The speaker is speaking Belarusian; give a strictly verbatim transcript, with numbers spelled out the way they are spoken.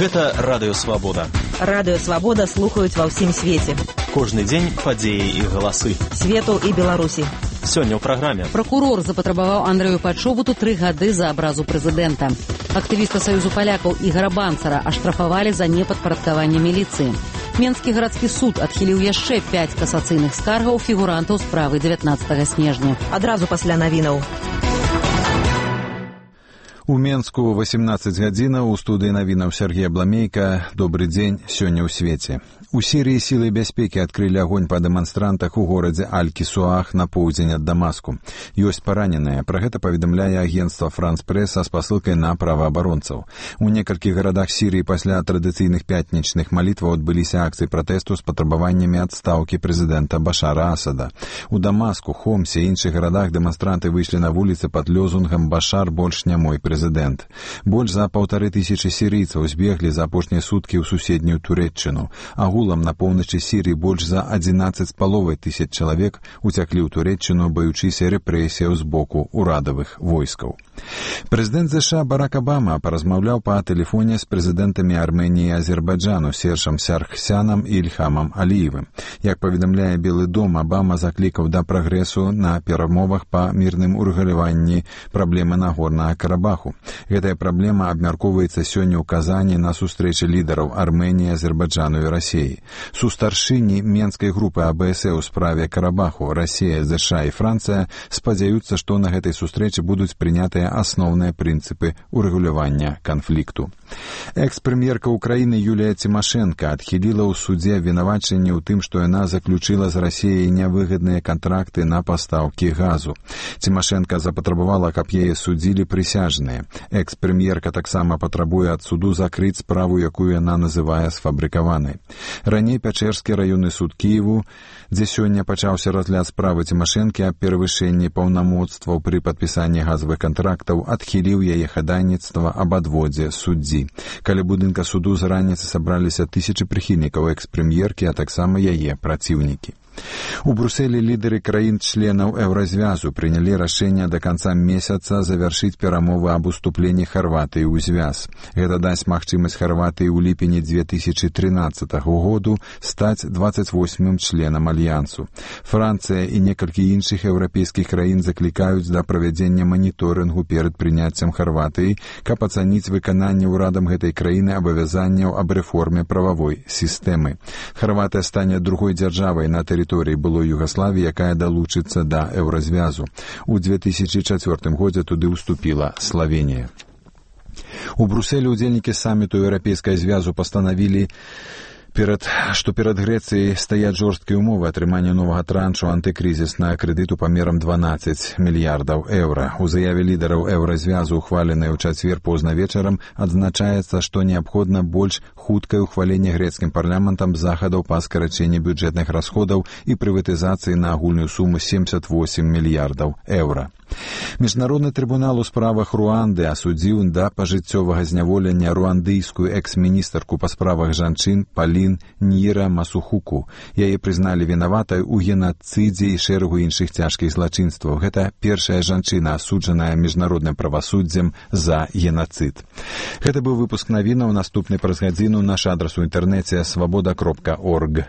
Гэта Радыё Свабода. Радыё Свабода слухаюць ва ўсім свеце. Кожны дзень падзеі і галасы. Свету і Беларусі. Сёння ў праграме. Пракурор запатрабаваў Андрэю Пачобуту тры гады за абразу прэзідэнта. Актывіста Саюзу палякаў Ігара Банцара аштрафавалі за непадпарадкаванне міліцыі. Менскі гарадскі суд адхіліў яшчэ пяць касацыйных скаргаў фігурантаў справы дзевятнаццатага снежня. Адразу пасля навінаў. У Менску восемнадцаць гадзінаў, у студыі навінаў Сергей Бламейка. Добры дзень, сёння ў свеце. У Сірыі сілы бяспекі адкрылі агонь па дэманстрантах у горадзе Аль-Кісуах на поўдзень ад Дамаску. Ёсць параненыя. Пра гэта паведамляе агенцтва «Франс-Прэс» са спасылкай на праваабаронцаў. У некалькіх гарадах Сірыі пасля традыцыйных пятнічных малітваў адбыліся акцыі пратэсту з патрабаваннямі адстаўкі прэзідэнта Башара Асада. У Дамаску, Хомсе і іншых гарадах дэманстранты выйшлі на вуліцы пад лёзунгам «Башар больш не мой прэзідэнт». Больш за паўтары тысячы сірыйцаў збеглі за апошнія суткі ў суседнюю Турэччыну. Агулам на поўначы Сірыі больш за адзінаццаць з паловай тысяч чалавек уцяклі ў Турэччыну, баючыся рэпрэсіяў з боку ўрадавых войскаў. Прэзідэнт ЗША Барак Абама паразмаўляў па тэлефоне з прэзідэнтамі Арменіі і Азербайджану Сержам Саргсянам і Ільхамам Аліевым. Як паведамляе Белы дом, Абама заклікаў да прагрэсу на перамовах па мірным урэгуляванні праблемы Нагорнага Карабаху. Гэтая праблема абмяркоўваецца сёння ў Казані на сустрэчы лідараў Арменіі, Азербайджану і Расіі. Сустаршыні менскай групы АБС у справе Карабаху, Расія, ЗША і Францыя спадзяюцца, што на гэтай сустрэчы будуць прынятыя асноўныя прынцыпы урэгулявання канфлікту. Экс-прэм'ерка Украіны Юлія Цімашэнка адхіліла ў судзе абвінавачанне ў тым, што яна заключыла з Расіяй нявыгадныя кантракты на пастаўкі газу. Цімашэнка запатрабавала, каб яе судзілі прысяжныя. Экс-прэм'ерка таксама патрабуе ад суду закрыць справу, якую яна называе сфабрыкаванай. Раней Пячэрскі раённы суд Кіеву, дзе сёння пачаўся разгляд справы Цімашэнкі аб перавышэнні паўнамоцтваў пры падпісанні газавых кантрактаў, адхіліў яе хадайніцтва аб адводзе суддзі. Каля будынка суду з раніцы сабраліся тысячы прыхільнікаў экс-прэм'еркі, а таксама яе праціўнікі. У Брусэлі лідары краін-членаў Еўразвязу прынялі рашэнне да канца месяца завяршыць перамовы аб уступленні Харватыі ў звяз. Гэта дасць магчымасць Харватыі ў ліпені две тысячы трынаццатага году стаць дваццаць восьмым членам альянсу. Францыя і некалькі іншых еўрапейскіх краін заклікаюць да правядзення маніторынгу перад прыняццем Харватыі, каб ацаніць выкананне ўрадам гэтай краіны абавязанняў аб рэформе прававой сістэмы. Харватыя стане другой дзяржавай на тэрыторыі тэрыторыі былой Югаславіі, якая далучыцца да Еўразвязу. У две тысячы чацвёртым годзе туды ўступіла Славенія. У Брусэлі ўдзельнікі саміту Еўрапейскага звязу пастанавілі, Перад, што перад Грэцыяй стаяць жорсткія ўмовы атрымання новага траншу антыкрызіснага крэдыту памерам дванаццаць мільярдаў еўра. У заяве лідараў Еўразвязу, ухваленай у чацвер позна вечарам, адзначаецца, што неабходна больш хуткае ўхваленне грэцкім парламентам захадаў па скарачэнні бюджэтных расходаў і прыватызацыі на агульную суму семьдесят восемь мільярдаў еўра. Міжнародны трыбунал у справах Руанды асудзіў да пажыццёвага зняволення руандыйскую экс-міністарку па справах жанчын Палін Ніра Масухуку. Яе прызналі вінаватай у генацыдзе і шэрагу іншых цяжкіх злачынстваў. Гэта першая жанчына, асуджаная міжнародным правасуддзем за генацыд. Гэта быў выпуск навінаў. Наступны праз гадзіну наш адрас у інтэрнэце свабода кропка орг.